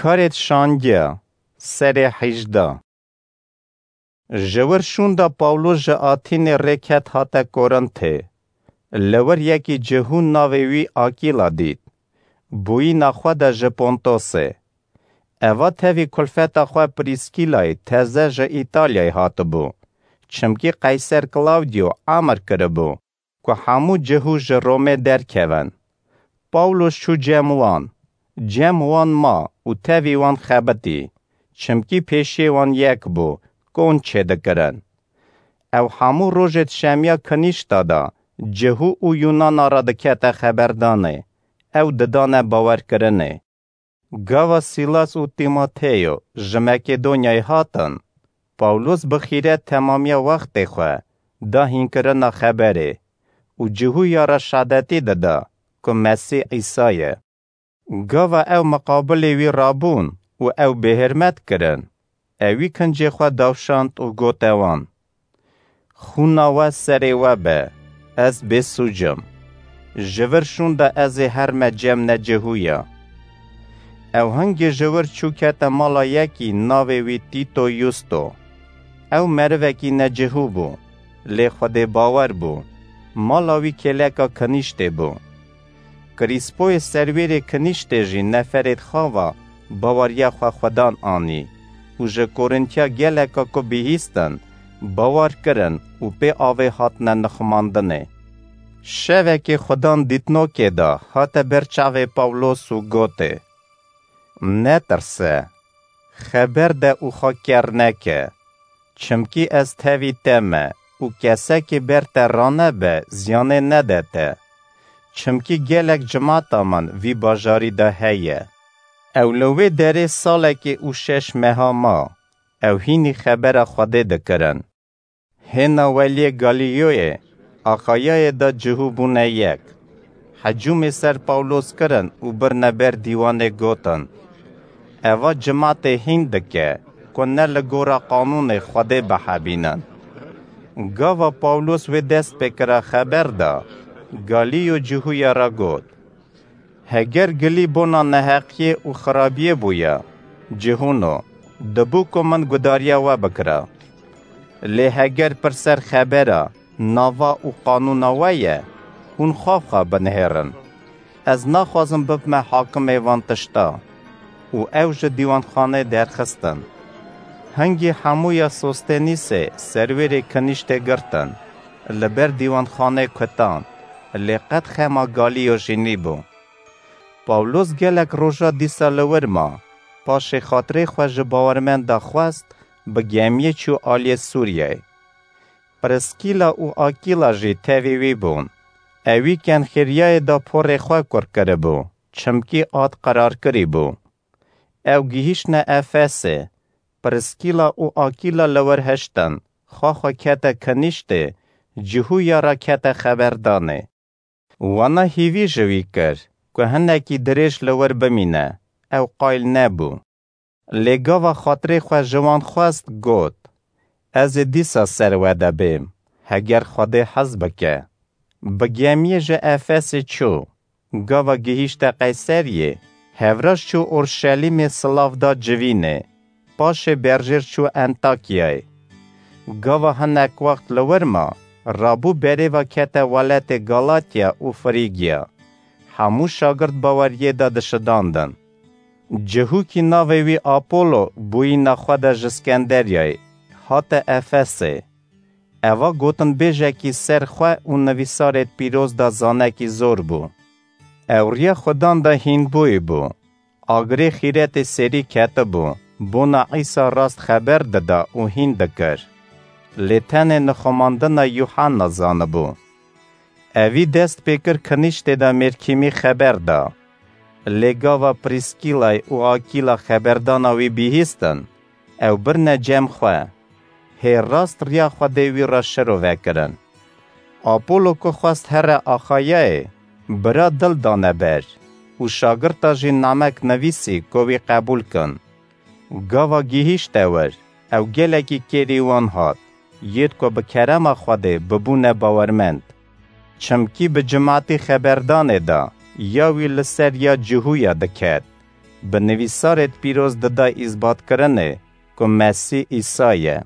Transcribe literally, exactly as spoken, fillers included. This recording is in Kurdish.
Karêt şangiya, serê hejdeh. Ji wir şûnda Pawlos ji Atînê rêket hate Korintê. Li wir yekî cihû navê wî Akîla dît. Bûyîna xwe de ji Pontosê. Eva tevî kulfeta xwe Prîskîlayê teze ji Îtalyayê hatibû. Çimkî Qeyser Klawdyo emir kiribû ku hemû cihû ji Romê derkevin. Pawlos çû cem wan. Cem wan ma û tevî wan xebitî, çimkî pêşiyê wan yek bû, kon çêdikirin. Ew hemû rojêt şemiya kinîşta de cihû û Yûnana re dikete xeberdanê, ew didane bawerkirinê. Gava Sîlas û Tîmoteyo ji Makedonyayê hatin, Pawlos bi xîret temamiya wextê xwe da hînkirina xeberê û cihûya re şadetî dida ku Mesîh Îsa ye. Gava ew miqabilê wî rabûn û ew bêhirmet kirin, ewî kincê xwe dawşand û gote wan: Xûna we serê we be, ez bêsûc im. Ji vir şûnda ez ê herme cem necihûya. Ew hingê ji wir çû kete mala yekî navê wî Tîto Yusto. Ew merivekî necihû bû, lê Xwedê bawer bû. Mala wî kêleka kinîştê bû. Krîspoyê serwêrê kinîştê jî neferêt xava baweriya xwe Xwedan anî û ji Korîntiya geleka ku bihîstin, bawar kirin û pê avê hatine nixumandinê. Şevekê Xwedan dîtnokê de hate ber çavê Pawlos û gotê: Netirse, xeber de û xwe ker neke. Çimkî ez tevî te me û kesekî ber te ranebe ziyanê nede te. Çimkî gelek cimata min vî bajarî de heye. Ew li wê derê salekê û şeş meha ma, ew hînî xebera Xwedê dikirin. Hêna weliyê Galîyoyê, Axayayê de cihû bûne yek. Hecûmê ser Pawlos kirin û birine ber dîwanê, gotin: Eva cimatê hîn dike ku ne li gora qanûnê Xwedê bihebînin. Gava Pawlos wê dest pê kira xeber da, Galîyo cihûya re got: Heger gilî bona neheqiyê û xirabiyê bûya, cihûno, dibû ku min gudariya we bikira. Lê heger pirser xebera, nava û qanûna we ye, hûn xwe xwe binihêrin. Ez naxwazim bibime hakimê van tişta. Û ew ji dîwanxanê derxistin. Hingî hemûya Sostenîsê serwêrê kinîştê girtin, li ber dîwanxanê kutan, lê qet xema Galîyo jî nîbû. Pawlos gelek roja dîsa li wir ma, paşê xatirê xwe ji bawermenda xwest, bi gemiyê çû aliyê Sûriyeyê. Priskîla û Akîla jî tevî wî bûn. Ewî Kenxîriyayê de porê xwe kur kiribû, çimkî ad qerar kirî bû. Ew gihîştine Efesê. Priskîla û Akîla li wir hiştin, xwe xwe kete kinîştê, cihûya re kete xeberdanê. Wana hîvî ji wî kir ku hinekî dirêj li wir bimîne, ew qayîl nebû. Lê gava xatirê xwe ji wan xwest, got: Ez ê dîsa ser we de bêm, heger Xwedê hez bike. Bi gemiyê ji Efesê çû. Gava gihîşte Qeyseriyê, hevraş çû Orşelîmê silav da civînê. Paşê berjêr çû Entakyayê. Gava hinek wext li wir ma, rabû berê ve kete welatê Galatya û Frîgya. Hemû şagirt baweriyê de dişidandin. Cihûkî navê wî Apolo bûyîna xwe de ji Skenderyayê hate Efesê. Eva gotinbêjekî ser xwe û nivîsarêt pîroz de zanekî zor bû. Ew riya Xudan de hînbûyî bû. Agirê xîretê serî ketibû, bona Îsa rast xeber dida û hîn dikir. Lê tenê nixumandina Yuhanna zanibû. Evî dest pê kir kinîştê de mêrkîmî xeber da. Lê gava Prîskîlay û Akîla xeberdana wî bihîstin, ew birine cem xwe. Hê rast riya Xwedê wî re şirove kirin. Apolo ku xwest here Axayayê, bira dil dane ber û şagirta jî namek nivîsî ku wî qebûl kin. Gava gihîşte wir, ew gelekî kêrî wan hat, yêd ku bi kerema Xwedê bibûne bawermend. Çimkî bi cimatî xeberdanê de ya wî li ser ya cihûya diket. bi nivîsarêd pîroz dida îzbatkirinê ku Mesîh Îsa ye.